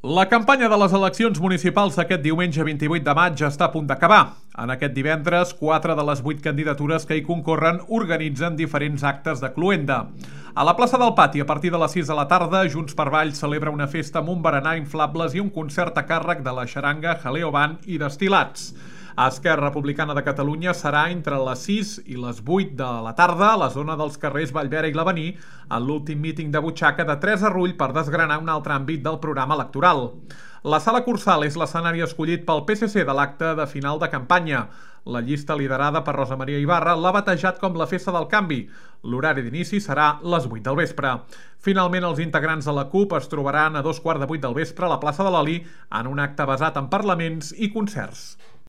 La campanya de les eleccions municipals d'aquest diumenge 28 de maig està a punt d'acabar. En aquest divendres, 4 de les 8 candidatures que hi concorren organitzen diferents actes de cloenda. A la plaça del Pati, a partir de les 6 de la tarda, Junts per Valls celebra una festa amb un berenar, inflables i un concert a càrrec de la xaranga Jaleo Band i Destil·lats. A Esquerra Republicana de Catalunya serà entre les 6 i les 8 de la tarda a la zona dels carrers Vallvera i l'Avenir, en l'últim míting de butxaca de Teresa Rull per desgranar un altre àmbit del programa electoral. La Sala Cursal és l'escenari escollit pel PSC de l'acte de final de campanya. La llista liderada per Rosa Maria Ibarra l'ha batejat com la Festa del Canvi. L'horari d'inici serà les 8 del vespre. Finalment, els integrants de la CUP es trobaran a 2:15 del vespre a la plaça de l'Oli en un acte basat en parlaments i concerts.